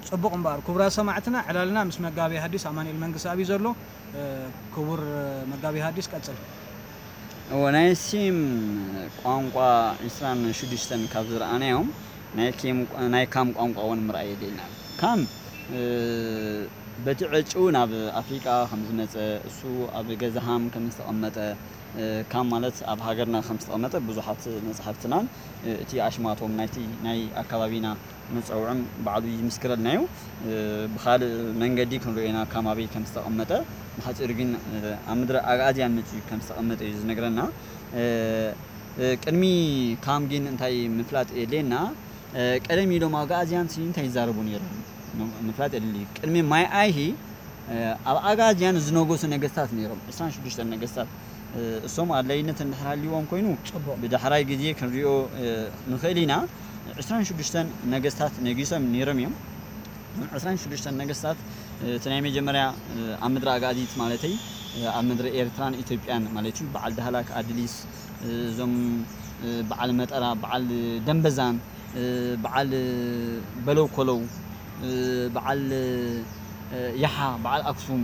ጽቡቕ እምበኣር ክቡራት ሰማዕትና፣ ዕላልና ምስ መጋቤ ሐዲስ ኣማኑኤል መንግስተኣብ እዩ ዘሎ። እ፣ ክቡር መጋቤ ሐዲስ ቀጽል። እወ፣ ናይ ሴም ቋንቋ ዕስራን ሽዱሽተን ካብ ዝረኣናዮም ናይ ኬም ናይ ካም ቋንቋ እውን ምርኣይ የድልየና። ካም እ፣ በቲ ዕጭኡ ናብ ኣፍሪቃ ከም ዝመጸ፣ እሱ ኣብ ገዛሃም ከም ዝተቐመጠ፣ እ፣ ካም ማለት ኣብ ሃገርና ከም ዝተቐመጠ ብዙሓት መጽሓፍትናን፣ እ፣ እቲ ኣሽማቶም ናይቲ ናይ ኣካባቢና መጸውዕም ባዕሉ ይምስክረልና እዩ። እ፣ ብኻልእ መንገዲ ክንሪኦ ኢና ካም ኣበይ ከም ዝተቐመጠ። ብሓጺሩ ግን፣ እ፣ ኣብ ምድሪ ኣግኣዝያን መጺኡ ከም ዝተቐመጠ እዩ ዝነግረና። እ፣ እ፣ ቅድሚ ካም ግን እንታይ ምፍላጥ የድልየና? እ፣ ቀደም ኢሎም ኣግኣዝያን ሲ እንታይ ይዛረቡ ነይሮም? ም-፣ ምፍላጥ የድሊ። ቅድሚ ማይ ኣይሂ፣ እ፣ ኣብ ኣግኣዝያን ዝነገሱ ነገስታት ነይሮም፣ ዕስራን ሽዱሽተን ነገስታት። እ፣ እሶም ኣድላይነት እንድሕር ሃልይዎም ኮይኑ፣ ጽቡቕ። ብዳሕራይ ግዜ ክንሪኦ፣ እ፣ ንኽእል ኢና። ዕስራን ሽዱሽተን ነገስታት ነጊሶም ነይሮም እዮም። ዕስራን ሽዱሽተን ነገስታት፣ እ፣ እቲ ናይ መጀመርያ፣ እ፣ ኣብ ምድሪ ኣጋዚት ማለተይ፣ እ፣ ኣብ ምድሪ ኤርትራን ኢትዮጵያን ማለት እዩ። በዓል ዳህላክ ኣድሊስ፣ እ፣ እዞም፣ እ፣ በዓል መጠራ፣ በዓል ደንበዛን፣ እ፣ በዓል በለው ኮለው፣ እ፣ በዓል፣ እ፣ ያሓ፣ በዓል ኣክሱም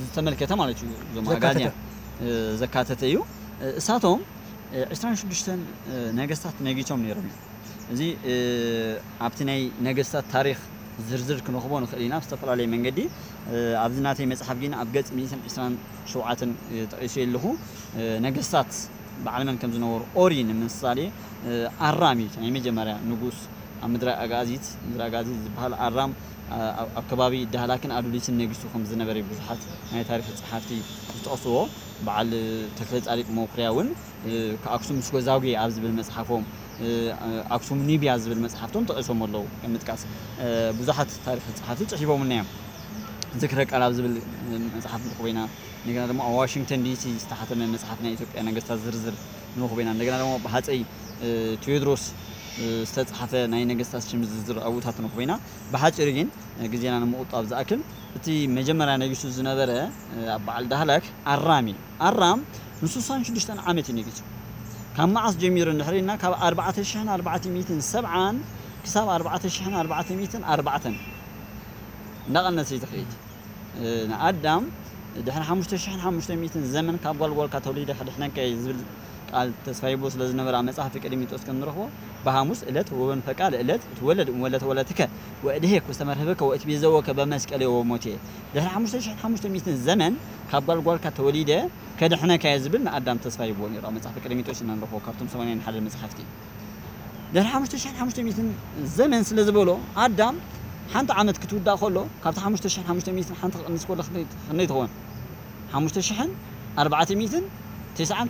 ዝተመልከተ ማለት እዩ። እዞም ዘካተተ። ኣጋዝያን፣ እ፣ ዘካተተ እዩ። እ፣ እሳቶም፣ እ፣ ዕስራን ሽዱሽተን፣ እ፣ ነገስታት ነጊሶም ነይሮም እዮም። እዚ፣ እ፣ ኣብቲ ናይ ነገስታት ታሪኽ ዝርዝር ክንረኽቦ ንኽእል ኢና ብዝተፈላለየ መንገዲ። እ፣ ኣብዚ ናተይ መጽሓፍ ግን ኣብ ገጽ ሚእትን ዕስራን ሸውዓተን፣ እ፣ ጠቒሰዮ ኣለኹ። እ፣ ነገስታት በዓል መን ከም ዝነበሩ ኦሪ ንምሳሌ፣ እ፣ ኣራም እዩ እቲ ናይ መጀመርያ ንጉስ ኣብ ምድረ ኣጋዚት፣ ምድረ ኣጋዚት ዝበሃል ኣራም፣ እ፣ ኣብ ኣብ ከባቢ ዳህላክን ኣዱሊስን ነጊሱ ከም ዝነበረ ብዙሓት ናይ ታሪኽ ጸሓፍቲ ዝጠቕስዎ። በዓል ተክለ ጻዲቅ መኩርያ እውን እ፣ ከኣክሱም እስከ ዛጉዌ ኣብ ዝብል መጽሓፎም፣ እ፣ ኣክሱም ኒብያ ዝብል መጽሓፍቶም ጠቒሶም ኣለዉ። ከም ምጥቃስ፣ እ፣ ብዙሓት ታሪኽ ጸሓፍቲ ጽሒፎምልና እዮም። ዝክረ ቃል ኣብ ዝብል፣ እ፣ መጽሓፍ ንረኽቦ ኢና። እንደገና ድማ ኣብ ዋሽንግተን ዲሲ ዝተሓተመ መጽሓፍ ናይ ኢትዮጵያ ነገስታት ዝርዝር ንረኽቦ ኢና። እንደገና ድማ ብሃጸይ፣ እ፣ ቴዎድሮስ፣ እ፣ ዝተጻሕፈ ናይ ነገስታት ሽም ዝርዝር ኣብኡታት ንረኽቦ ኢና። ብሓጺሩ ግን፣ እ፣ ግዜና ንምቑጣብ ዝኣክል፣ እቲ መጀመርያ ነጊሱ ዝነበረ፣ እ፣ ኣብ በዓል ዳህላክ ኣራም እዩ። ኣራም ንስሳን ሽዱሽተን ዓመት እዩ ነጊሱ። ካብ መዓስ ጀሚሩ እንድሕር ኢልና፣ ካብ ኣርባዕተ ሽሕን ኣርባዕተ ሚእትን ሰብዓን ክሳብ ኣርባዕተ ሽሕን ኣርባዕተ ሚእትን ኣርባዕተን እናቐነሰ እዩ ዝኸይድ። እ፣ ንኣዳም ድሕሪ ሓሙሽተ ሽሕን ሓሙሽተ ሚእትን ዘመን ካብ ጓልጓልካ ተወሊደ ከድሕነካ እየ ዝብል ቃል ተስፋ ሂቡ ስለ ዝነበረ፣ ኣብ መጽሓፍ ቀሌምንጦስ ከም ንረኽቦ፣ ብሃሙስ ዕለት ወበንፈቃ ለዕለት እትወለድ እምወለተ ወለትከ ወእድሄክ ውስተ መርህብከ ወእትቤዘወከ በመስቀሌ ወሞቴ። ድሕሪ ሓሙሽተ ሽሕን ሓሙሽተ ሚእትን ዘመን ካብ ጓልጓልካ ተወሊደ ከድሕነካ እየ ዝብል ንኣዳም ተስፋ ሂብዎ ነይሩ። ኣብ መጽሓፍ ቀሌምንጦስ ኢና ንረኽቦ፣ ካብቶም ሰማንያን ሓደን መጽሓፍቲ። ድሕሪ ሓሙሽተ ሽሕን ሓሙሽተ ሚእትን ዘመን ስለ ዝበሎ፣ ኣዳም ሓንቲ ዓመት ክትውዳእ ከሎ፣ ካብቲ ሓሙሽተ ሽሕን ሓሙሽተ ሚእትን ሓንቲ ክቕንስ ከሎ ክንደይ፣ ክንደይ ትኸውን? ሓሙሽተ ሽሕን ኣርባዕተ ሚእትን ተስዓን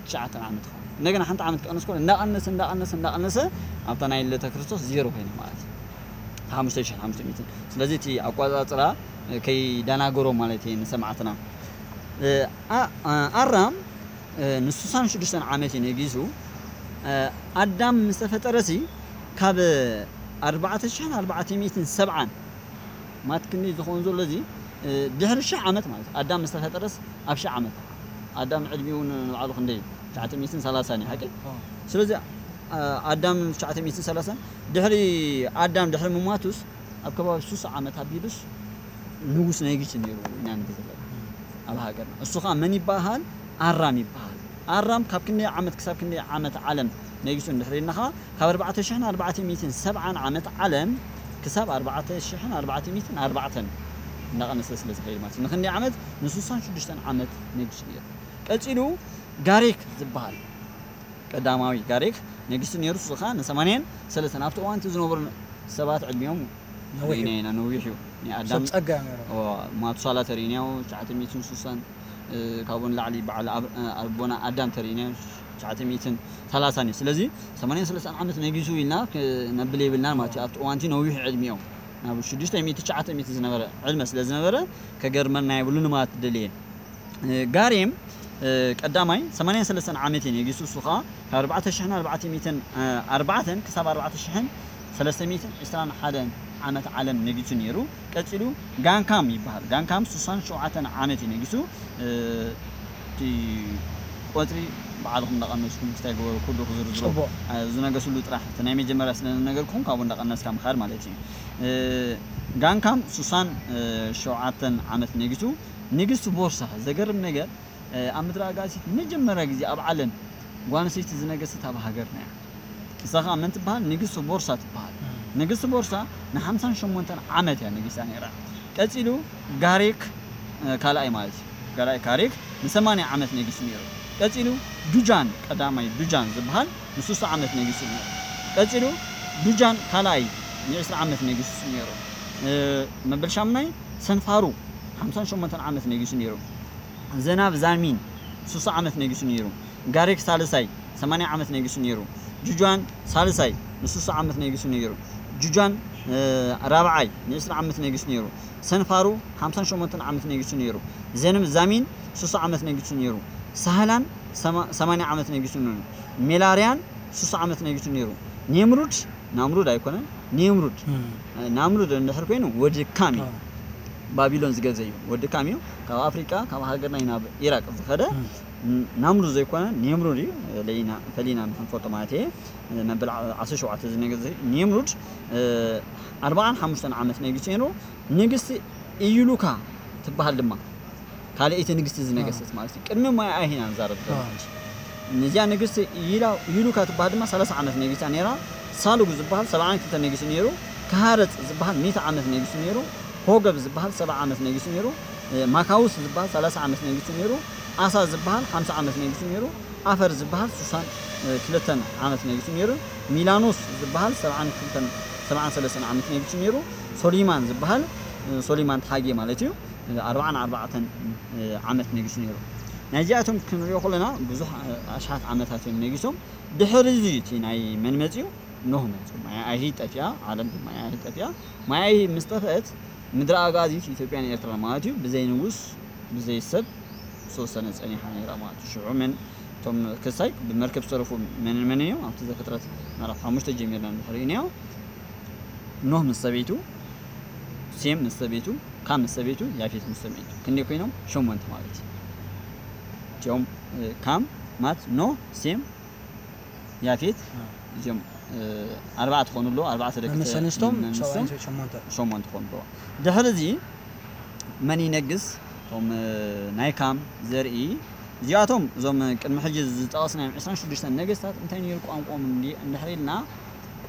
ትሽዓተን ዓመት ትኸውን። እንደገና ሓንቲ ዓመት ክቕንስ ከሎ፣ እንዳቐነሰ፣ እንዳቐነሰ፣ እንዳቐነሰ፣ ኣብታ ናይ ልደተ ክርስቶስ ዜሮ ኮይና ማለት እዩ። ሓሙሽተ ሽሕን ሓሙሽተ ሚእትን። ስለዚ እቲ ኣቆጻጽራ ከይደናገሮም ማለት እየ ንሰማዕትና። እ፣ ኣ-፣ ኣ-፣ ኣራም፣ እ፣ ንስሳን ሽዱሽተን ዓመት እዩ ነጊሱ። እ፣ ኣዳም ምስ ተፈጠረሲ ካብ ኣርባዕተ ሽሕን ኣርባዕተ ሚእትን ሰብዓን ማት ክንደይ ዝኸውን ዘሎ እዚ፣ እ፣ ድሕሪ ሽሕ ዓመት ማለት እዩ። ኣዳም ምስ ተፈጠረስ ኣብ ሽሕ ዓመት። ኣዳም ዕድሚኡ ንባዕሉ ክንደይ እዩ? ትሽዓተ ሚእትን ሰላሳን እዩ፣ ሓቂ? ኣዎ። ስለዚ፣ እ፣ ኣዳም ትሽዓተ ሚእትን ሰላሳን ድሕሪ ኣዳም ድሕሪ ምሟቱስ ኣብ ከባቢ ሱሳ ዓመት ኣቢሉስ ንጉስ ነጊሱ ነይሩ ኢና ንብል ዘለና ኣብ ሃገርና። እሱ ኸዓ መን ይበሃል? ኣራም ይበሃል። ኣራም ካብ ክንደይ ዓመት ክሳብ ክንደይ ዓመት ዓለም ነጊሱ እንድሕር ኢልና ኸዓ፣ ካብ ኣርባዕተ ሽሕን ኣርባዕተ ሚእትን ሰብዓን ዓመት ዓለም ክሳብ ኣርባዕተ ሽሕን ኣርባዕተ ሚእትን ኣርባዕተን እናቐነሰ ስለ ዝኸይድ ማለት እዩ። ንክንደይ ዓመት? ንስሳን ሽዱሽተን ዓመት ነጊሱ ነይሩ። ቀጺሉ ጋሪክ ዝበሃል ቀዳማዊ ጋሪክ ነጊሱ ነይሩ። እሱ ኸዓ ንሰማንያን ሰለስተን ኣብቲ እዋን እቲ ዝነበሩ ሰባት ዕድሚኦም ነዊሕ እዩ። ርኢና ኢና፣ ነዊሕ እዩ። ናይ ኣዳም ሰብ ጸጋ እዮም ነይሮም። ኦ፣ ማቱሳላ ተርኢናዮ ትሽዓተ ሚእትን ስሳን፣ እ፣ ካብኡ ንላዕሊ በዓል ኣብ-፣ እ፣ ኣቦና ኣዳም ተርኢናዮ ትሽዓተ ሚእትን ሰላሳን እዩ። ስለዚ ሰማንያን ሰለስተን ዓመት ነጊሱ ኢልና ክነብል የብልናን ማለት እዩ። ኣብቲ እዋንቲ ነዊሕ ዕድሚኦም ናብ ሽዱሽተ ሚእቲ ትሽዓተ ሚእቲ ዝነበረ ዕድመ ስለ ዝነበረ ከገርመና የብሉን ማለት ደልየ። እ፣ ጋሬም፣ እ፣ ቀዳማይ ሰማንያን ሰለስተን ዓመት እዩ ነጊሱ። እሱ ኸዓ ካብ ኣርባዕተ ሽሕን ኣርባዕተ ሚእትን ኣርባዕተን ክሳብ ኣርባዕተ ሽሕን ሰለስተ ሚእትን ዕስራን ሓደን ዓመት ዓለም ነጊሱ ነይሩ። ቀጺሉ ጋንካም ይበሃል። ጋንካም ስሳን ሸውዓተን ዓመት እዩ ነጊሱ። እ፣ እቲ ቆጽሪ ባዕልኹም እንዳቐነስኩም ክስታይ ግበሩ፣ ኩሉ ክዝርዝሮ። ጽቡቕ። እ፣ ዝነገስሉ ጥራሕ እቲ ናይ መጀመርያ ስለ ዝነገርኩም ካብኡ እንዳቐነስካ ምኻድ ማለት እዩ። እ፣ ጋንካም ሱሳን፣ እ፣ ሸውዓተን ዓመት ነጊሱ። ንግስቲ ቦርሳ፣ ዘገርም ነገር፣ እ፣ ኣብ ምድረ ኣጋዚት መጀመርያ ግዜ ኣብ ዓለም ጓል ኣንስተይቲ ዝነገሰት ኣብ ሃገርና እያ። ንሳ ኸኣ መን ትበሃል? ንግስቲ ቦርሳ ትበሃል። ንግስቲ ቦርሳ ንሓምሳን ሸሞንተን ዓመት እያ ነጊሳ ነይራ። ቀጺሉ ጋሪክ፣ እ፣ ካልኣይ ማለት እዩ። ካልኣይ ጋሪክ ንሰማንያ ዓመት ነጊሱ ነይሩ። ቀጺሉ ዱጃን ቀዳማይ፣ ዱጃን ዝበሃል ንስሳ ዓመት ነጊሱ ነይሩ። ቀጺሉ ዱጃን ካልኣይ ንዕስራ ዓመት ነጊሱ ነይሩ። እ፣ መበል ሻምናይ ሰንፋሩ ሓምሳን ሸሞንተን ዓመት ነጊሱ ነይሩ። ዘናብ ዛሚን ስሳ ዓመት ነጊሱ ነይሩ። ጋሪክ ሳልሳይ ሰማንያ ዓመት ነጊሱ ነይሩ። ጁጃን ሳልሳይ ንስሳ ዓመት ነጊሱ ነይሩ። ጁጃን፣ እ፣ ራብዓይ ንዕስራ ዓመት ነጊሱ ነይሩ። ሰንፋሩ ሓምሳን ሸሞንተን ዓመት ነጊሱ ነይሩ። ዘንም ዛሚን ስሳ ዓመት ነጊሱ ነይሩ። ሳህላን ሰማ-፣ ሰማንያ ዓመት ነጊሱ ነይሩ። ሜላርያን ስሳ ዓመት ነጊሱ ነይሩ። ኔምሩድ፣ ናምሩድ ኣይኮነን፣ ኔምሩድ። እም። ናምሩድ እንድሕር ኮይኑ ወዲ ካም እዩ። ኣዎ። ባቢሎን ዝገዘ እዩ። ወዲ ካም እዩ። ካብ ኣፍሪቃ፣ ካብ ሃገርና እዩ ናብ ኢራቅ ዝኸደ። እም። ን-፣ ናምሩድ ዘይኮነ ኔምሩድ እዩ። ለይና፣ ፈሊና ንክንፈልጦ ማለት እየ። መበል ዓ-፣ ዓሰርተ ሸውዓተ ዝነገዘ ኔምሩድ፣ እ፣ ኣርባዓን ሓሙሽተን ዓመት ነጊሱ ነይሩ። ንግስቲ ኢዩሉካ ትበሃል ድማ ካልኣይቲ ንግስቲ ዝነገሰት ማለት እዩ። ቅድሚ ማይ ኣይሂና ንዛረብ ዘለና ሕጂ። ነዚኣ ንግስቲ ኢላ-፣ ኢዩሉካ ትበሃል ድማ ሰላሳ ዓመት ነጊሳ ነይራ። ሳሉግ ዝበሃል ሰብዓን ክልተን ነጊሱ ነይሩ። ከሃረጽ ዝበሃል ሚእቲ ዓመት ነጊሱ ነይሩ። ሆገብ ዝበሃል ሰብዓ ዓመት ነጊሱ ነይሩ። እ፣ ማካውስ ዝበሃል ሰላሳ ዓመት ነጊሱ ነይሩ። ኣሳ ዝበሃል ሓምሳ ዓመት ነጊሱ ነይሩ። ኣፈር ዝበሃል ስሳን ክልተን ዓመት ነጊሱ ነይሩ። ሚላኖስ ዝበሃል ሰብዓን ክልተን፣ ሰብዓን ሰለስተን ዓመት ነጊሱ ነይሩ። ሶሊማን ዝበሃል፣ እ፣ ሶሊማን ተሓጌ ማለት እዩ፣ እ፣ ኣርባዓን ኣርባዕተን፣ እ፣ ዓመት ነጊሱ ነይሩ። ናይዚኣቶም ክንሪኦ ከለና ብዙሕ፣ እ፣ ኣሽሓት ዓመታት እዮም ነጊሶም። ድሕሪ እዚ እቲ ናይ መን መፅዩ? ኖህ መፅዩ። ማይ ኣይሂ ጠፊኣ፣ ዓለም ብማይ ኣይሂ ጠፊኣ። ማይ ኣይሂ ምስ ጠፍአት ምድሪ ኣጋዚት ኢትዮጵያን ኤርትራን ማለት እዩ ብዘይ ንጉስ ብዘይ ሰብ ዝተወሰነ ጸኒሓ ነይራ ማለት እዩ። ሽዑ መን እቶም ክሳይ ብመርከብ ዝተረፉ መንን መንን እዮም? ኣብቲ ዘፍጥረት ምዕራፍ ሓሙሽተ ጀሚርና እንድሕር ርኢናዮ፣ ኖህ ምስ ሰበይቱ፣ ሴም ምስ ሰበይቱ፣ ካም ምስ ሰበይቱ፣ ያፌት ምስ ሰበይቱ። ክንደይ ኮይኖም? ሸሞንተ ማለት እዩ። እቲኦም፣ እ፣ ካም፣ ማት፣ ኖህ፣ ሴም፣ ያፌት፣ አ። እዚኦም፣ እ፣ ኣርባዕተ ክኾኑ ኣለዉ። ኣርባዕተ ደቂ መምስ ተ-፣ ኣንስቶም፣ መምስ ሰብኣይ ኣንስቶም ሸሞንተ። ሸሞንተ ክኾኑ ኣለዉ። ድሕሪ እዚ መን ይነግስ? እቶም፣ እ፣ ናይ ካም ዘርኢ፣ እዚኣቶም፣ እዞም ቅድሚ ሕጂ ዝጠቐስናዮም ዕስራን ሽዱሽተን ነገስታት እንታይ ነይሩ ቋንቋኦም እንዲ-፣ እንድሕር ኢልና፣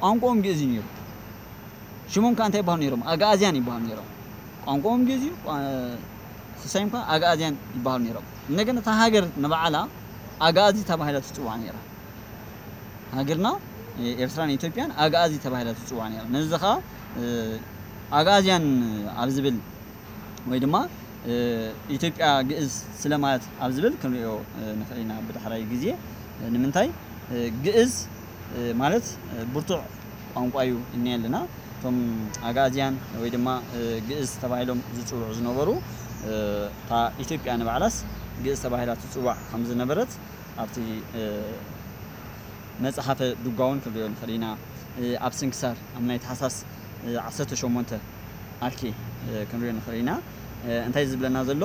ቋንቋኦም ግእዝ እዩ ነይሩ። ሽሞም ከኣ እንታይ ይበሃሉ ነይሮም? ኣግኣዝያን ይበሃሉ ነይሮም። ቋንቋኦም ግእዝ እዩ፣ ቋ-፣ ስሳዮም ከኣ ኣግኣዝያን ይበሃሉ ነይሮም። እንደገና እታ ሃገር ንባዕላ ኣግኣዚ ተባሂላ ትጽዋዕ ነይራ። ሃገርና፣ እ፣ ኤርትራን ኢትዮጵያን ኣግኣዚ ተባሂላ ትጽዋዕ ነይራ። ነዚ ኸኣ፣ እ፣ ኣግኣዝያን ኣብ ዝብል ወይ ድማ፣ እ፣ ኢትዮጵያ ግእዝ ስለማያት ኣብ ዝብል ክንሪኦ፣ እ፣ ንኽእል ኢና ብዳሕራይ ግዜ። እ፣ ንምንታይ? እ፣ ግእዝ፣ እ፣ ማለት፣ እ፣ ብርቱዕ ቋንቋ እዩ እኒአ ኣለና። እቶም ኣግኣዝያን ወይ ድማ፣ እ፣ ግእዝ ተባሂሎም ዝጽውዑ ዝነበሩ፣ እ፣ እታ ኢትዮጵያ ንባዕላስ ግእዝ ተባሂላ ትጽዋዕ ከም ዝነበረት ኣብቲ፣ እ፣ መጽሓፈ ዱጋ እውን ክንሪኦ ንኽእል ኢና። እ፣ ኣብ ስንክሳር ኣብ ናይ ታሕሳስ፣ እ፣ ዓሰርተ ሸሞንተ ኣርኬ፣ እ፣ ክንሪኦ ንኽእል ኢና። እ፣ እንታይ ዝብለና ዘሎ?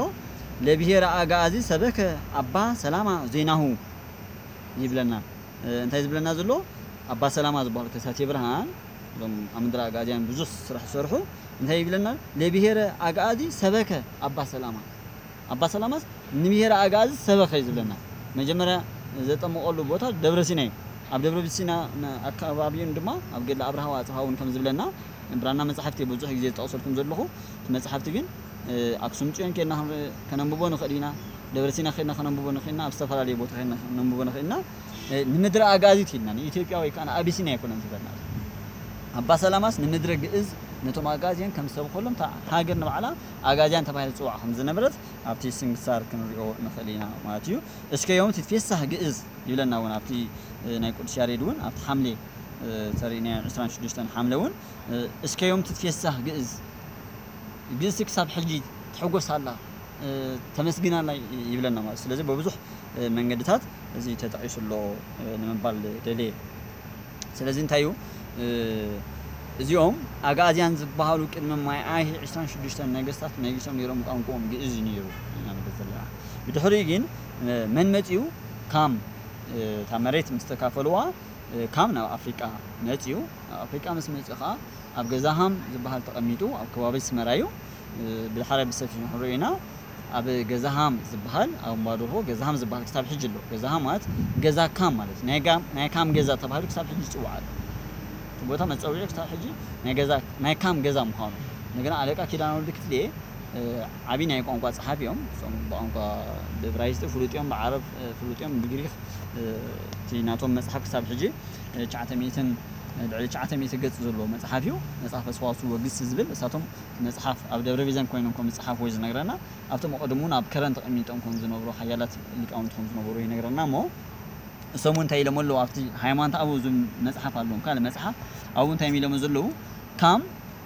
ለብሄረ ኣግኣዚ ሰበከ ኣባ ሰላማ ዜናሁ ይብለና። እ፣ እንታይ ዝብለና ዘሎ? ኣባ ሰላማ ዝበሃሉ ከሳቴ ብርሃን፣ እዞም ኣብ ምድረ ኣግኣዝያን ብዙሕ ስራሕ ዝሰርሑ፣ እንታይ ይብለና? ለብሄረ ኣግኣዚ ሰበከ ኣባ ሰላማ። ኣባ ሰላማስ ንብሄረ ኣግኣዚ ሰበኸ እዩ ዝብለና። መጀመርያ ዘጠመቐሉ ቦታ ደብረ ሲና እዩ። ኣብ ደብረ ሲና ን-፣ ኣከባቢኡን ድማ ኣብ ገድሊ ኣብርሃ ወኣጽብሃ እውን ከም ዝብለና ብራና መጻሕፍቲ ብዙሕ ግዜ ዝጠቕሰልኩም ዘለኹ፣ እቲ መጻሕፍቲ ግን፣ እ፣ ኣክሱም ጽዮን ኬድና ክንርኢ-፣ ከነንብቦ ንኽእል ኢና። ደብረ ሲና ኬድና ከነንብቦ ንኽእል ኢና። ኣብ ዝተፈላለየ ቦታ ኬድና ከነንብቦ ንኽእል ኢና። እ፣ ንምድሪ ኣግኣዚት ኢልና፣ ንኢትዮጵያ ወይ ከኣ ንኣቢሲንያ ኣይኮነን ዝብለና። ኣባ ሰላማስ ንምድሪ ግእዝ ነቶም ኣግኣዝያን ከም ዝሰብኸሎም፣ እታ ሃገር ንባዕላ ኣግኣዝያን ተባሂላ ትጽዋዕ ከም ዝነበረት ኣብቲ ስንክሳር ክንሪኦ ንኽእል ኢና ማለት እዩ። እስከ ዮም ትትፌሳህ ግእዝ ይብለና እውን ኣብቲ፣ እ፣ ናይ ቅዱስ ያሬድ እውን ኣብቲ ሓምሌ፣ እ፣ ተሪእናዮ ዕስራን ሽዱሽተን ሓምለ እውን፣ እ፣ እስከ ዮም ትትፌሳህ ግእዝ፣ ግእዝ ክሳብ ሕጂ ትሕጎስ ኣላ፣ እ፣ ተመስግን ኣላ ይብለና ማለት እዩ። ስለዚ በብዙሕ፣ እ፣ መንገድታት እዚ ተጠቒሱ ኣሎ፣ እ፣ ንምባል ደልየ። ስለዚ እንታይ እዩ፣ እ፣ እዚኦም ኣግኣዝያን ዝበሃሉ ቅድሚ ማይ ኣይሂ ዕስራን ሽዱሽተን ነገስታት ነጊሶም ነይሮም፣ ቋንቋኦም ግእዝ እዩ ነይሩ ኢና ንብል ዘለና። ብድሕሪኡ ግን፣ እ፣ መን መጺኡ? ካም፣ እ፣ እታ መሬት ምስ ተካፈልዋ፣ እ፣ ካም ናብ ኣፍሪቃ መጺኡ። ናብ ኣፍሪቃ ምስ መጺኡ ኸኣ ኣብ ገዛሃም ዝበሃል ተቐሚጡ ኣብ ከባቢ ኣስመራ እዩ። ብድሓር ብሰፊሑ ክንሪኦ ኢና። ኣብ ገዛሃም ዝበሃል ኣብ እምባደርሆ ገዛሃም ዝበሃል ክሳብ ሕጂ ኣሎ። ገዛሃም ማለት ገዛ ካም ማለት እዩ። ናይ ካም ገዛ ተባሂሉ ክሳብ ሕጂ ይፅዋዕ ኣሎ። እቲ ቦታ መፀውዒ ክሳብ ሕጂ ናይ ካም ገዛ ምዃኑ። እንደገና ኣለቃ ኪዳነ ወልድ ክትልየ ዓብዪ ናይ ቋንቋ ፀሓፊ እዮም። እሶም ብቋንቋ ብእብራይስጢ ፍሉጥ እዮም፣ ብዓረብ ፍሉጥ እዮም፣ ብግሪክ እቲ ናቶም መፅሓፍ ክሳብ ሕጂ ትሽዓተ ሚእትን ልዕሊ ትሽዓተ ሚእቲ ገፅ ዘለዎ መፅሓፍ እዩ። መፅሓፈ ሰዋስው ወግስ ዝብል እሳቶም መፅሓፍ ኣብ ደብረ ቢዘን ኮይኖም ከም ዝፀሓፍዎ እዩ ዝነግረና። ኣብቶም ቀደም እውን ኣብ ከረን ተቐሚጦም ከም ዝነብሩ ሓያላት ሊቃውንቲ ከም ዝነበሩ ይነግረና እሞ እሶም እንታይ ኢሎም ኣለዉ ኣብቲ ሃይማኖት ኣበው ዝብል መፅሓፍ ኣለዎም ካልእ መፅሓፍ ኣብኡ እንታይ ኢሎም ዘለዉ ካም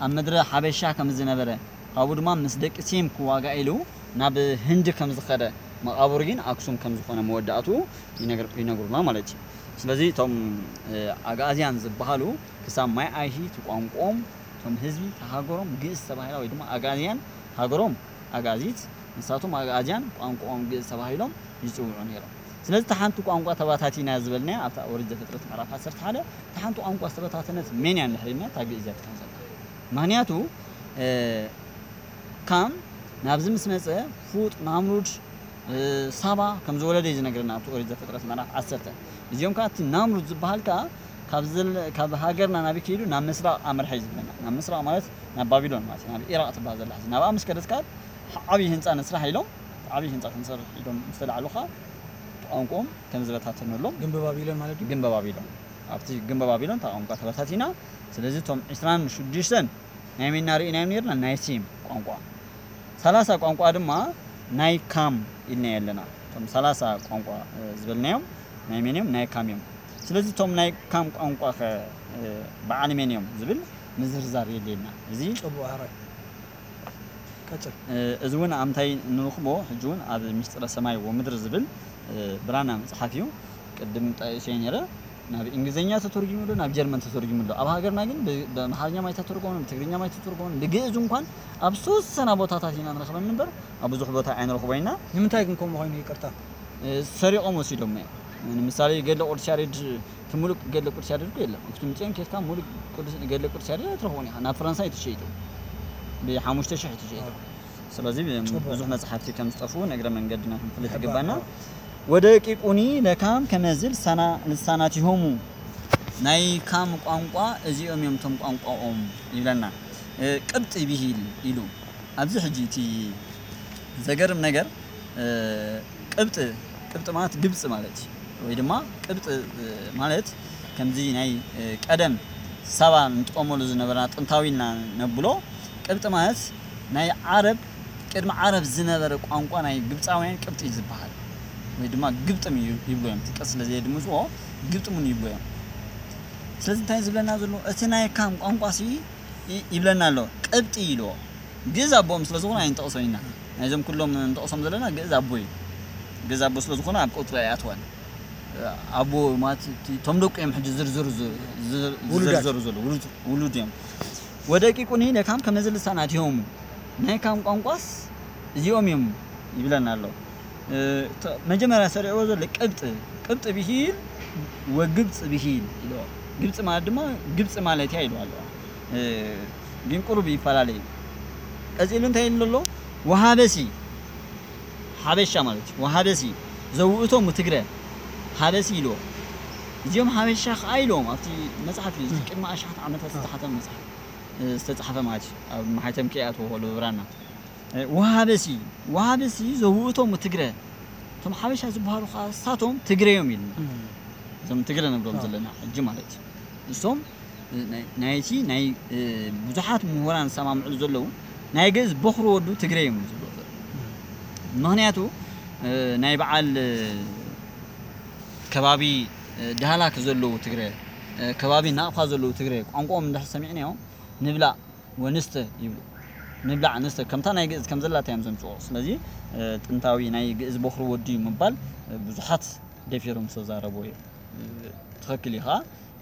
ኣብ ምድረ ሓበሻ ከም ዝነበረ ካብኡ ድማ ምስ ደቂ ሴም ክዋጋ ኢሉ ናብ ህንዲ ከም ዝኸደ መቓብሩ ግን ኣክሱም ከም ዝኾነ መወዳእቱ ይነግሩና ማለት እዩ። ስለዚ እቶም ኣግኣዝያን ዝበሃሉ ክሳብ ማይ ኣይሂ እቲ ቋንቋኦም እቶም ህዝቢ ተሃገሮም ግእዝ ተባሂላ ወይ ድማ ኣግኣዝያን ሃገሮም ኣግኣዚት ንሳቶም ኣግኣዝያን ቋንቋኦም ግእዝ ተባሂሎም ይፅውዑ ነይሮም። ስለዚ እታ ሓንቲ ቋንቋ ተባታቲና ዝበልናያ ኣብታ ኦሪት ዘፍጥረት ምዕራፍ ዓሰርተ ሓደ እታ ሓንቲ ቋንቋ ዝተበታተነት መን እያ እንድሕር ኢልና እታ ግእዝ እያ ትኸውን ዘላ። ምክንያቱ ካም ናብዚ ምስ መፀ ፉጥ ናምሩድ ሳባ ከም ዝወለደ እዩ ዝነግረና ኣብቲ ኦሪት ዘፍጥረት ምዕራፍ ዓሰርተ። እዚኦም ከዓ እቲ ናምሩድ ዝበሃል ከዓ ካብ ሃገርና ናበይ ከይዱ ናብ ምስራቕ ኣምርሐ እዩ ዝብለና። ናብ ምስራቕ ማለት ናብ ባቢሎን ማለት እዩ። ናብ ኢራቕ ትበሃል ዘላ ሕዚ ናብኣ ምስ ከደት ከዓ ዓብዪ ህንፃ ንስራሕ ኢሎም ዓብዪ ህንፃ ክንሰርሕ ኢሎም ምስ ተላዕሉ ከዓ ቋንቋኦም ከም ዝበታተነሎም ግንበ ባቢሎን ማለት እዩ። ግንበ ባቢሎን ኣብቲ ግንበ ባቢሎን እታ ቋንቋ ተበታቲና። ስለዚ እቶም ዕስራን ሽዱሽተን ናይ መን ኢና ርኢናዮም ነርና? ናይ ሴም ቋንቋ። ሰላሳ ቋንቋ ድማ ናይ ካም ኢልናዮ ኣለና። እቶም ሰላሳ ቋንቋ ዝበልናዮም ናይ መን እዮም? ናይ ካም እዮም። ስለዚ እቶም ናይ ካም ቋንቋ ከ በዓል መን እዮም ዝብል ምዝርዛር የድልየና። እዚ ጽቡቕ ሕራይ። ቀጽል። እዚ እውን ኣብ ምንታይ ንረኽቦ? ሕጂ እውን ኣብ ሚስጥረ ሰማይ ወምድሪ ዝብል ብራና መጽሓፍ እዩ። ቅድም ጠቂሰዮ ነይረ። ናብ እንግሊዝኛ ተተርጉሙ ኣሎ፣ ናብ ጀርመን ተተርጉሙ ኣሎ። ኣብ ሃገርና ግን ብኣምሓርኛ ማይ ተተርጎመ፣ ብትግርኛ ማይ ተተርጎመ፣ ብግእዝ እንኳን ኣብ ዝተወሰና ቦታታት ኢና ንረኽበን እምበር ኣብ ብዙሕ ቦታ ኣይንረኽቦ ኢና። ንምንታይ ግን ከምኡ ኮይኑ ይቅርታ? ሰሪቖም ወሲዶሞ እዮም። ንምሳሌ ገድለ ቅዱስ ያሬድ እቲ ሙሉእ ገድለ ቅዱስ ያሬድ እኮ የለን። ክትምፅኦም ኬድካ ሙሉእ ገድለ ቅዱስ ያሬድ ኣይትረኽቦን ኢኻ። ናብ ፈረንሳ እዩ ተሸይጡ። ብሓሙሽተ ሽሕ እዩ ተሸይጡ። ስለዚ ብዙሕ መፅሓፍቲ ከም ዝጠፍኡ ንእግረ መንገድና ክንፈልጥ ይግባና። ወደቂቁኒ ለካም ከመዚ ልሳናቲሆሙ ናይ ካም ቋንቋ እዚኦም እዮም እቶም ቋንቋኦም ይብለና። ቅብጢ ብሂል ኢሉ ኣብዚ ሕጂ እቲ ዘገርም ነገር ቅብጢ ቅብጢ ማለት ግብፂ ማለት እዩ። ወይ ድማ ቅብጢ ማለት ከምዚ ናይ ቀደም ሳባ ንጥቀመሉ ዝነበርና ጥንታዊ ኢልና ነብሎ ቅብጢ ማለት ናይ ዓረብ ቅድሚ ዓረብ ዝነበረ ቋንቋ ናይ ግብፃውያን ቅብጢ እዩ ዝበሃል። ወይ ድማ ግብጥም ይብሉ እዮም። ጥቀስ ስለ ዘየድምፅዎ ግብጥም እውን ይብሉ እዮም። ስለዚ እንታይ ዝብለና ዘሎ እቲ ናይ ካም ቋንቋ ሲ ይብለና ኣሎ ቅብጢ ኢልዎ ግእዝ ኣቦኦም ስለ ዝኾኑ ኣይንጠቕሶ ኢና። ናይዞም ኩሎም ንጠቕሶም ዘለና ግእዝ ኣቦ እዩ። ግእዝ ኣቦ ስለ ዝኾነ ኣብ ቁፅሪ ኣይኣትዋን። ኣቦ ማለት እቶም ደቁ እዮም ሕጂ ዝርዝሩ ዝዘርዘሩ ዘሎ ውሉድ እዮም። ወደቂቁኒ ለካም ከመዚ ልሳናቲሆሙ ናይ ካም ቋንቋስ እዚኦም እዮም ይብለና ኣሎ። መጀመርያ ሰሪዕዎ ዘሎ ቅብጢ ቅብጢ ብሂል ወግብፂ ብሂል ኢልዎ። ግብፂ ማለት ድማ ግብፂ ማለት እያ ኢልዋ ኣለዋ። ግን ቁሩብ ይፈላለ እዩ። ቀፂሉ እንታይ ኢሉ ኣሎ? ወሃበሲ ሓበሻ ማለት እዩ። ወሃበሲ ዘውእቶም ትግረ ሃበሲ ኢልዎ። እዚኦም ሓበሻ ከዓ ኢልዎም ኣብቲ መፅሓፍ እዩ። እዚ ቅድሚ ኣሽሓት ዓመታት ዝተሓተመ መፅሓፍ ዝተፃሓፈ ማለት እዩ። ኣብ ማሕተም ከይኣትዎ ከሎ ብራና ወሃበሲ ወሃበሲ ዘውእቶም ትግረ እቶም ሓበሻ ዝበሃሉ ከዓ እሳቶም ትግረ እዮም ኢልና። እዞም ትግረ ንብሎም ዘለና ሕጂ ማለት እዩ። እሶም ናይቲ ናይ ብዙሓት ምሁራን ዝሰማምዕሉ ዘለዉ ናይ ግእዝ በኹሪ ወዱ ትግረ እዮም ዝብሉ። ምክንያቱ ናይ በዓል ከባቢ ዳህላክ ዘለዉ ትግረ ከባቢ ናቕፋ ዘለዉ ትግረ ቋንቋኦም እንድሕር ሰሚዕናዮም ንብላዕ ወንስተ ይብሉ። ንብላዕ ንስተ ከምታ ናይ ግእዝ ከም ዘላታ እዮም ዘምፅኦ። ስለዚ ጥንታዊ ናይ ግእዝ በኹሪ ወዲ እዩ ምባል ብዙሓት ደፊሮም ዝተዛረቡ እዮም። ትኽክል እዩ ከዓ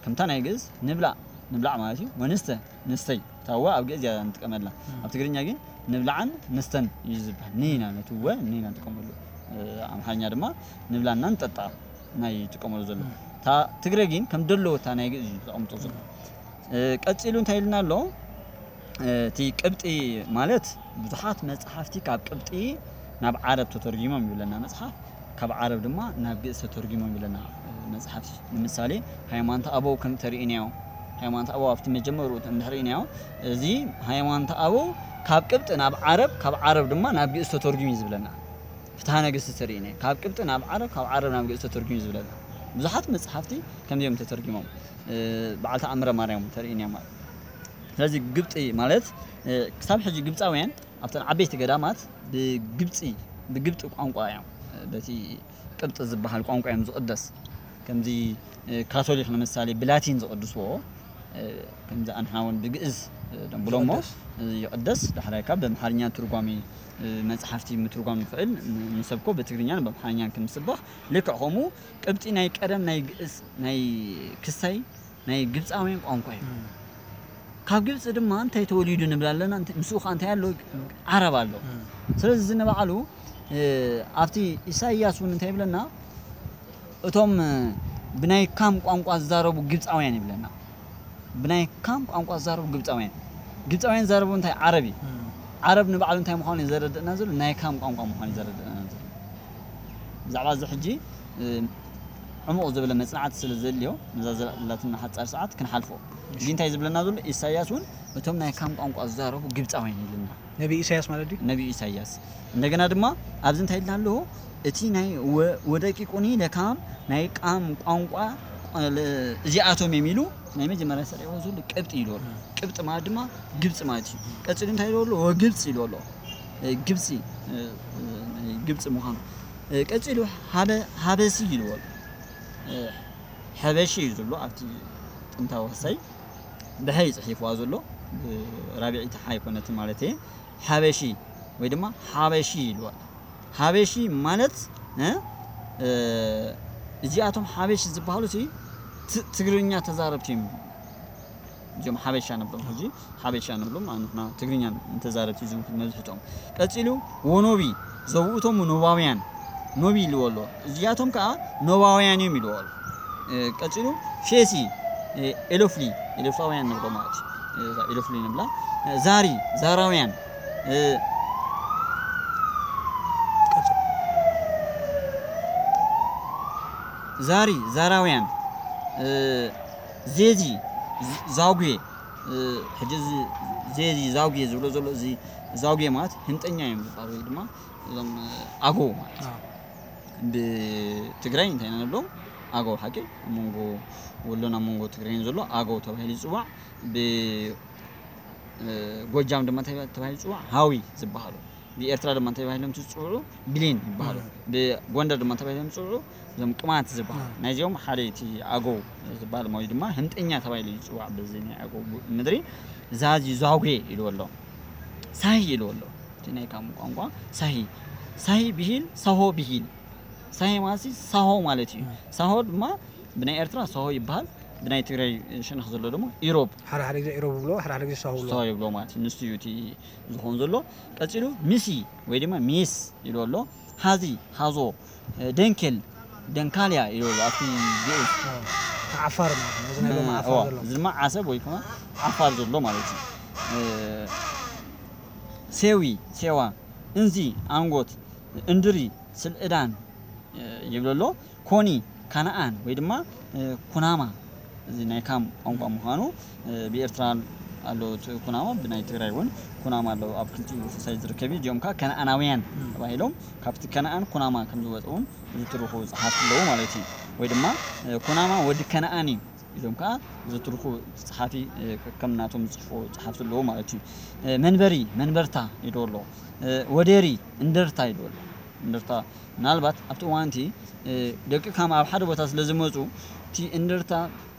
ከምታ ናይ ግእዝ ንብላዕ ንብላዕ ማለት እዩ። ወንስተ ንስተይ ታወ ኣብ ግእዝ እያ ንጥቀመላ። ኣብ ትግርኛ ግን ንብላዕን ንስተን እዩ ዝበሃል። ንኢና ነቲ ወ ንኢና ንጥቀመሉ። ኣምሓርኛ ድማ ንብላና ንጠጣ ናይ ይጥቀመሉ ዘሎ። እታ ትግረ ግን ከም ደለወታ ናይ ግእዝ እዩ ተቐምጦ ዘሎ። እ፣ ቀጺሉ እንታይ ኢልና ኣሎ? እ፣ እቲ ቅብጢ ማለት ብዙሓት መጽሓፍቲ ካብ ቅብጢ ናብ ዓረብ ተተርጒሞም ይብለና መጽሓፍ፣ ካብ ዓረብ ድማ ናብ ግእዝ ተተርጒሞም ይብለና፣ እ፣ መጽሓፍቲ። ንምሳሌ ሃይማኖተ ኣበው ከም ተርእይናዮ፣ ሃይማኖተ ኣበው ኣብቲ መጀመርኡ እንድሕር ርእይናዮ፣ እዚ ሃይማኖተ ኣበው ካብ ቅብጢ ናብ ዓረብ፣ ካብ ዓረብ ድማ ናብ ግእዝ ተተርጒሙ እዩ ዝብለና። ፍትሐ ነገስት ተርእይናዮ፣ ካብ ቅብጢ ናብ ዓረብ፣ ካብ ዓረብ ናብ ግእዝ ተተርጒሙ እዩ ዝብለና። ብዙሓት መጽሓፍቲ ከምዚኦም ተተርጒሞም፣ እ፣ በዓል ተኣምረ ማርያም ተርእይናዮ ማለት። ስለዚ ግብጢ ማለት፣ እ፣ ክሳብ ሕጂ ግብጻውያን ኣብተን ዓበይቲ ገዳማት ብግብጺ፣ ብግብጢ ቋንቋ እዮም፣ እ፣ በቲ ቅብጢ ዝበሃል ቋንቋ እዮም ዝቕደስ። ከምዚ፣ እ፣ ካቶሊክ ንምሳሌ ብላቲን ዝቕድስዎ፣ እ፣ ከምዚ ኣንሕና እውን ብግእዝ፣ እ፣ ደንብሎ እሞ፣ ይቕደስ። እ፣ ይቕደስ። ዳሕራይ ካብ ብኣምሓርኛ ትርጓሜ፣ እ፣ መጽሓፍቲ ምትርጓም ንኽእል፣ ን-፣ ንሰብኮ ብትግርኛን ብኣምሓርኛን ከም ዝስበኽ፣ ልክዕ ከምኡ ቅብጢ ናይ ቀደም ናይ ግእዝ፣ ናይ ክስታይ ናይ ግብጻውያን ቋንቋ እዩ። እም። ካብ ግብጺ ድማ እንታይ ተወሊዱ ንብል ኣለና? እንተ-፣ ምስኡ ኸዓ እንታይ ኣሎ? ዓረብ ኣሎ። እም። ስለዚ እዚ ንባዕሉ፣ እ፣ ኣብቲ ኢሳይያስ እውን እንታይ ይብለና? እቶም፣ እ፣ ብናይ ካም ቋንቋ ዝዛረቡ ግብጻውያን ይብለና። ብናይ ካም ቋንቋ ዝዛረቡ ግብጻውያን። ግብጻውያን ዝዛረቡ እንታይ? ዓረብ እዩ። እም። ዓረብ ንባዕሉ እንታይ ምዃኑ እዩ ዘረድእና ዘሎ? ናይ ካም ቋንቋ ምዃኑ እዩ ዘረድእና ዘሎ። ብዛዕባ እዚ ሕጂ፣ እ፣ ዕሙቕ ዝበለ መጽናዕቲ ስለ ዘድልዮ፣ ነዛ ዘላትና ሓጻር ሰዓት ክንሓልፎ። እሺ። እዚ እንታይ ዝብለና ዘሎ? ኢሳይያስ እውን እቶም ናይ ካም ቋንቋ ዝዛረቡ ግብጻውያን ይብለና። ነቢ ኢሳይያስ ማለት ድዩ? ነቢ ኢሳይያስ። እንደገና ድማ ኣብዚ እንታይ ኢልና ኣለዎ? እቲ ናይ ወ-፣ ወደቂቁኒ ለካም ናይ ቃም ቋንቋ፣ እ፣ እዚኣቶም እዮም ኢሉ ናይ መጀመርያ ሰሪዕዎ ዘሎ ቅብጢ ኢሉ ኣሎ። እም። ቅብጢ ማለት ድማ ግብጺ ማለት እዩ። ቀጺሉ እንታይ ኢሉ ኣሎ? ወግብጺ ኢሉ ኣሎ። እ፣ ግብጺ፣ እ፣ እ፣ ናይ ግብጺ ምዃኑ። እ፣ ቀጺሉ ሃበ-፣ ሃበሲ ኢሉ ኣሎ። እ፣ ሐበሺ እዩ ዝብሎ ኣብቲ ጥንታዊ ክሳይ ብሐ እዩ ጽሒፍዋ ዘሎ። እ፣ ራብዒቲ ሓ ኣይኮነትን ማለት እየ። ሐበሺ ወይ ድማ ሓበሺ ኢልዋ። ሓበሺ ማለት፣ እ፣ እ፣ እዚኣቶም ሓበሺ ዝበሃሉ ሲ ት-፣ ትግርኛ ተዛረብቲ እዮም። እዚኦም ሓበሻ ንብሎም፣ ሕጂ ሓበሻ ንብሎም፣ ንሕና ትግርኛ ተዛረብቲ እዮም መብዝሕትኦም። ቀጺሉ ወኖቢ፣ ዘውእቶሙ ኖባውያን፣ ኖቢ ኢልዎ ኣሎ። እዚኣቶም ከኣ ኖባውያን እዮም ኢልዎ ኣሎ። እ፣ ቀጺሉ ፌሲ፣ እ፣ ኤሎፍሊ፣ ኤሎፍላውያን ንብሎ ማለት እዩ። እ፣ እዛ ኤሎፍሊ ንብላ። እ፣ ዛሪ፣ ዛራውያን፣ እ፣ ቀጽል። ዛሪ፣ ዛራውያን፣ እ፣ ዜዚ፣ ዝ-፣ ዛጉዌ፣ እ፣ ሕጂ እዚ ዜዚ፣ ዛጉዌ ዝብሎ ዘሎ፣ እዚ ዛጉዌ ማለት ህንጠኛ እዮም ዝበሃሉ፣ ወይ ድማ እዞም፣ እ፣ ኣጎው ማለት እዩ። ኣዎ። ብትግራይ እንታይ ኢና ንብሎም? ኣገው፣ ሓቂ? ኣብ መንጎ ወሎን ኣብ መንጎ ትግራይን ዘሎ ኣገው ተባሂሉ ይጽዋዕ። ብ-፣ እ፣ ጎጃም ድማ እንታይ ተባሂሉ ይጽዋዕ? ሃዊ ዝበሃሉ። ብኤርትራ ድማ እንታይ ተባሂሎም ዝጽውዑ? ብሌን ይበሃሉ። እም። ብጎንደር ድማ እንታይ ተባሂሎም ዝጽውዑ? እዞም ቅማንት ዝበሃሉ። እም። ናይዚኦም ሓደ እቲ ኣገው ዝበሃል ወይ ድማ ህምጠኛ ተባሂሉ ይጽዋዕ። በዚ ናይ ኣገው ምድሪ ዛዚ ዛጉዌ ኢልዎ ኣሎ። ሳሂ ኢልዎ ኣሎ። እቲ ናይ ካም ቋንቋ ሳሂ። ሳሂ ብሂል፣ ሳሆ ብሂል። ሳሂ ማለት ሳሆ ማለት እዩ። እም። ሳሆ ድማ ብናይ ኤርትራ ሳሆ ይበሃል፣ ብናይ ትግራይ ሸነኽ ዘሎ ድማ ኢሮብ። ሓደ ሓደ ግዜ ኢሮብ ይብሎ፣ ሓደ ሓደ ግዜ ሳሆ ይብሎ። ሳሆ ይብሎ ማለት እዩ። ንሱ እዩ እቲ ዝኸውን ዘሎ። ቀጺሉ ሚሲ ወይ ድማ ሚስ ኢሉ ኣሎ። ሃዚ፣ ሃዞ፣ ደንኬል፣ ደንካልያ ኢሉ ኣሎ ኣብቲ ግእዝ። ኣዎ። ዓፋር ማለት ነው። እዚ ናይ ሎሚ እ፣ ዓፋር እዋ፣ ዘሎ። እዚ ድማ ዓሰብ ወይ ከዓ ዓፋር ዘሎ ማለት እዩ። እ፣ ሴዊ፣ ሴዋ፣ እንዚ፣ ኣንጎት፣ እንድሪ፣ ስልእዳን፣ እ፣ ይብል ኣሎ። ኮኒ፣ ካናኣን ወይ ድማ፣ እ፣ ኩናማ፣ እዚ ናይ ካም ቋንቋ ምዃኑ፣ እ፣ ብኤርትራ ኣሎ እቲ ኩናማ፣ ብናይ ትግራይ እውን ኩናማ ኣሎ፣ ኣብ ክልቲኡ ክሳይ ዝርከብ እዩ። እዚኦም ከዓ ከነኣናውያን እም። ተባሂሎም ካብቲ ከነኣን ኩናማ ከም ዝወፁ እውን ዝትርኹ ጸሓፍቲ ኣለዉ ማለት እዩ። ወይ ድማ፣ እ፣ ኩናማ ወዲ ከነኣን እዩ ኢሎም ከዓ ዝትርኹ ጸሓፊ፣ እ፣ ከም ናቶም ዝጽሕፉ ጸሓፍቲ ኣለዉ ማለት እዩ። እ፣ መንበሪ፣ መንበርታ ይዶ ኣሎ። እ፣ ወዴሪ፣ እንደርታ ይዶ ኣሎ። እንደርታ ምናልባት ኣብቲ እዋን እቲ፣ እ፣ ደቂ ካም ኣብ ሓደ ቦታ ስለ ዝመጹ፣ እቲ እንደርታ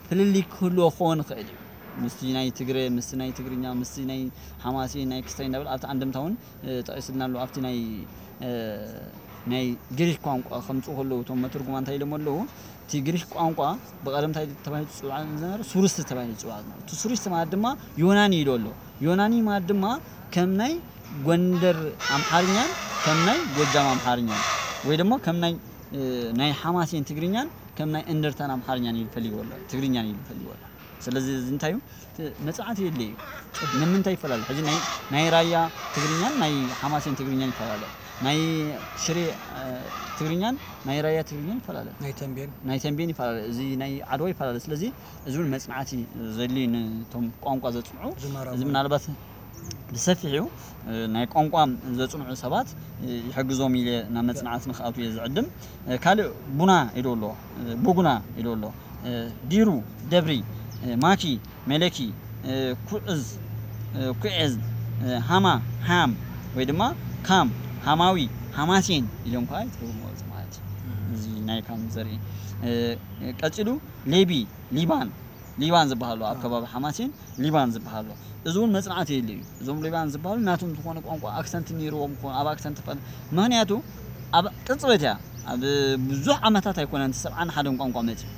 ፍልልይ ክህልዎ ክኸውን ይኽእል እዩ። ምስቲ ናይ ትግረ፣ ምስቲ ናይ ትግርኛ፣ ምስቲ ናይ ሓማሴን፣ ናይ ክስታይ እንዳበል ኣብቲ ኣንድምታ እውን፣ እ፣ ጠቒስልና ኣሎ። ኣብቲ ናይ፣ እ፣ ናይ ግሪክ ቋንቋ ከምጽኡ ከለዉ እቶም መተርጉማን እንታይ ኢሎም ኣለዉ? እቲ ግሪክ ቋንቋ ብቐደም እንታይ ተባሂሉ ዝጽዋዕ ዝነበረ? ሱርስቲ ተባሂሉ ዝጽዋዕ ዝነበረ። እቲ ሱርስቲ ማለት ድማ ዮናኒ ኢሉ ኣሎ። ዮናኒ ማለት ድማ ከም ናይ ጎንደር ኣምሓርኛን ከም ናይ ጎጃም ኣምሓርኛን ወይ ድማ ከም ናይ፣ እ፣ ናይ ሓማሴን ትግርኛን ከም ናይ እንደርታን ኣምሓርኛን ኢሉ ፈልይዎ ኣሎ፣ ትግርኛን ኢሉ ፈልይዎ ኣሎ። ስለዚ እዚ እንታይ እዩ? እቲ መጽናዕቲ የድልዮ እዩ። ንምንታይ ይፈላለ? ሕዚ ናይ ናይ ራያ ትግርኛን ናይ ሓማሴን ትግርኛን ይፈላለ። ናይ ሽሬ ትግርኛን ናይ ራያ ትግርኛን ይፈላለ። ናይ ተንቤን ናይ ተንቤን ይፈላለ። እዚ ናይ ዓድዋ ይፈላለ። ስለዚ እዚ እውን መጽናዕቲ ዘድልዩ ነቶም ቋንቋ ዘጽንዑ። እዚ ምናልባት ብሰፊሑ ናይ ቋንቋ ዘጽንዑ ሰባት ይሕግዞም ኢለ ናብ መጽናዕቲ ንክኣቱ እየ ዝዕድም። ካልእ ቡና ኢሉ ኣሎ፣ ቡጉና ኢሉ ኣሎ፣ ዲሩ፣ ደብሪ፣ ማኪ፣ መለኪ፣ ኩዕዝ፣ ኩዔዝ፣ ሃማ፣ ሃም ወይ ድማ ካም፣ ሃማዊ፣ ሃማሴን ኢሎም ከዓ ይትርጉምዎ ማለት እዩ። እዚ ናይ ካም ዘርኢ ቀፂሉ ሌቢ፣ ሊባን፣ ሊባን ዝበሃሉ ኣብ ከባቢ ሓማሴን ሊባን ዝበሃሉ እዚ እውን መፅናዕቲ የለ እዩ። እዞም ሊባን ዝበሃሉ ናቶም ዝኾነ ቋንቋ ኣክሰንት ነይርዎም ክኾኑ ኣብ ኣክሰንት ፈል ምክንያቱ ኣብ ቅፅበት እያ ኣብ ብዙሕ ዓመታት ኣይኮነን እቲ ሰብዓን ሓደን ቋንቋ መፅዩ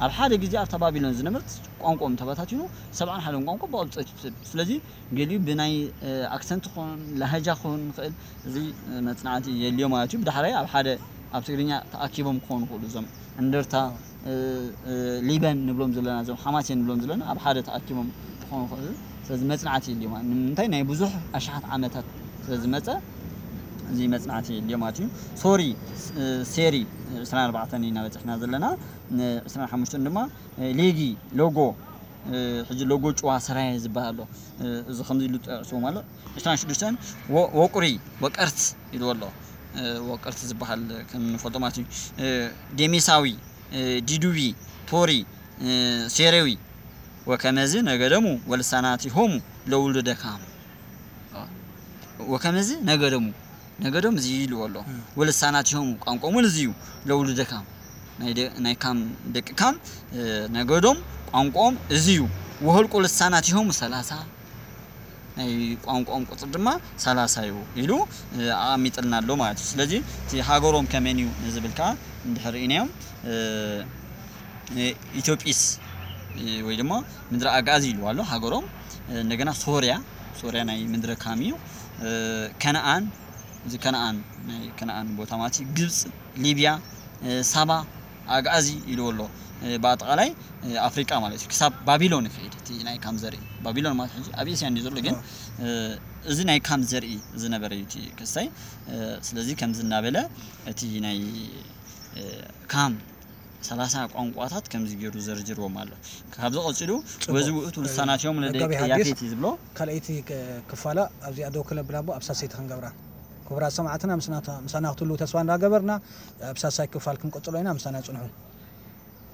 ኣብ ሓደ ግዜ ኣብታ ባቢሎን ዝነበርት ቋንቋኦም ተበታቲኑ ሰብዓን ሓደን ቋንቋ ብቕብፀት እዩ ትሰድ ስለዚ ገሊኡ ብናይ ኣክሰንት ኾን ላሃጃ ኾን ንኽእል እዚ መፅናዕቲ የልዮ ማለት እዩ። ብዳሕራይ ኣብ ሓደ ኣብ ትግርኛ ተኣኪቦም ክኾኑ ይኽእሉ እዞም እንደርታ ሊበን ንብሎም ዘለና እዞም ሓማሴን ንብሎም ዘለና ኣብ ሓደ ተኣኪቦም ክኾኑ ይኽእሉ። ስለዚ መፅናዕቲ የልዮ ማለት ንምንታይ ናይ ብዙሕ ኣሽሓት ዓመታት ስለዝመፀ እዚ መፅናዕቲ የልዮ ማለት እዩ። ሶሪ ሴሪ ዕስራን ኣርባዕተን ኢና በፂሕና ዘለና ዕስራን ሓሙሽተን ድማ ሌጊ ሎጎ ሕጂ ሎጎ ጭዋ ሰራየ ዝበሃል ኣሎ። እዚ ከምዚ ኢሉ ጠቅስዎም ኣሎ። ዕስራን ሽዱሽተን ወቁሪ ወቀርት ኢልዎ ኣሎ። ወቀርት ዝበሃል ከም ንፈልጦ ማለት እዩ። ዴሜሳዊ ዲዱቢ ፖሪ ሴሬዊ ወከመዚ ነገደሙ ወልሳናቲሆሙ ለውሉደ ካም ወከመዚ ነገደሙ ነገዶም እዚ ኢልዎ ኣሎ። ወልሳናቲሆሙ ቋንቋኦም እውን እዚ እዩ። ለውሉደ ካም ናይ ካም ደቂ ካም ነገዶም ቋንቋኦም እዚ እዩ። ወህልቁ ልሳናቲሆሙ ሰላሳ ናይ ቋንቋኦም ቁፅር ድማ ሰላሳ እዩ ኢሉ ኣቐሚጥልና ኣሎ ማለት እዩ። ስለዚ እቲ ሃገሮም ከመን እዩ ንዝብል ከዓ እንድሕር ርኢናዮም ኢትዮጵስ ወይ ድማ ምድሪ ኣግኣዚ ኢልዋ ኣሎ ሃገሮም። እንደገና ሶርያ ሶርያ ናይ ምድረ ካም እዩ። ከነኣን እዚ ከነኣን ናይ ከነኣን ቦታ ማለት እዩ። ግብፂ፣ ሊብያ፣ ሳባ፣ ኣግኣዚ ኢልዎ ኣሎ። ብኣጠቃላይ ኣፍሪቃ ማለት እዩ። ክሳብ ባቢሎን ይኸይድ እቲ ናይ ካም ዘርኢ። ባቢሎን ማለት ሕጂ ኣብ ኤስያ እንዲ ዘሎ ግን እዚ ናይ ካም ዘርኢ ዝነበረ እዩ እቲ ክስታይ። ስለዚ ከምዚ እናበለ እቲ ናይ ካም ሰላሳ ቋንቋታት ከምዚ ገይሩ ዘርጅርዎም ኣሎ። ካብዚ ቀፂሉ ወዚ ውእቱ ልሳናትዮም ለደቂ ያፌት እዩ ዝብሎ። ካልኣይቲ ክፋላ ኣብዚኣ ደው ክለብላ እሞ ኣብ ሳሰይቲ ክንገብራ። ክቡራት ሰማዕትና ምሳና ክትህልዉ ተስፋ እንዳገበርና ኣብ ሳሳይ ክፋል ክንቅፅሎ ኢና። ምሳና ፅንሑ።